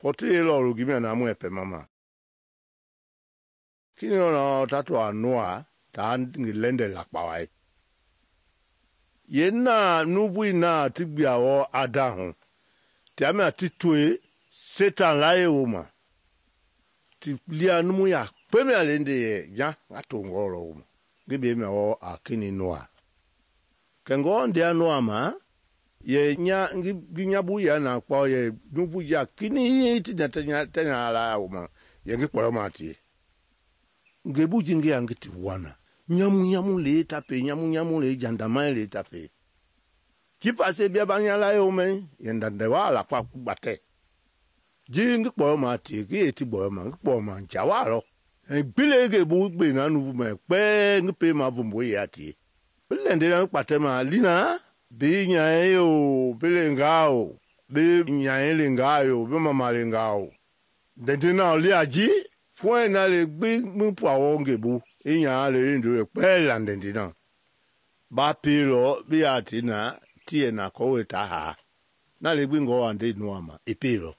Kɔti lɔlu gimia na mu epe mama. Kini na tatu Noa ta ngi lende lakpawai. Yena nubui na ti gbiawo Adamu. Tiamia ti toe Satan laye woma. Ti lia numu ya kpemia lende ye nya ngatongolo woma. Ngibe me o akini Noa. Kengo ndia Noa ma ye nya ngi nyabu ya na kpa ye nubu ya kini ti tenya la woma. Ye ngi kporo ma ti. Ngebu jingi ya ngiti wana. Nyamu le tape, nyamu le jandama le tape. Kipa se bia banya la yo me, yendande wala kwa kubate. Jingi kporo ma ti, ki eti kporo ma njawa lo. Bile ngebu gbe na nubu me, kpe ngi pe ma vumbu ya ti. Bile ndena kpate ma lina, bi nyae yo, bile ngao, bi nyae le ngao, bi mama le ngao. Dendena oli aji, fue na le gbi mupwa wo ngebu. Inya le ndo kpe landendina. Ba pilo bi ati na tie na kowe ta ha. Na le gbi ngo ande Noa ma epilo.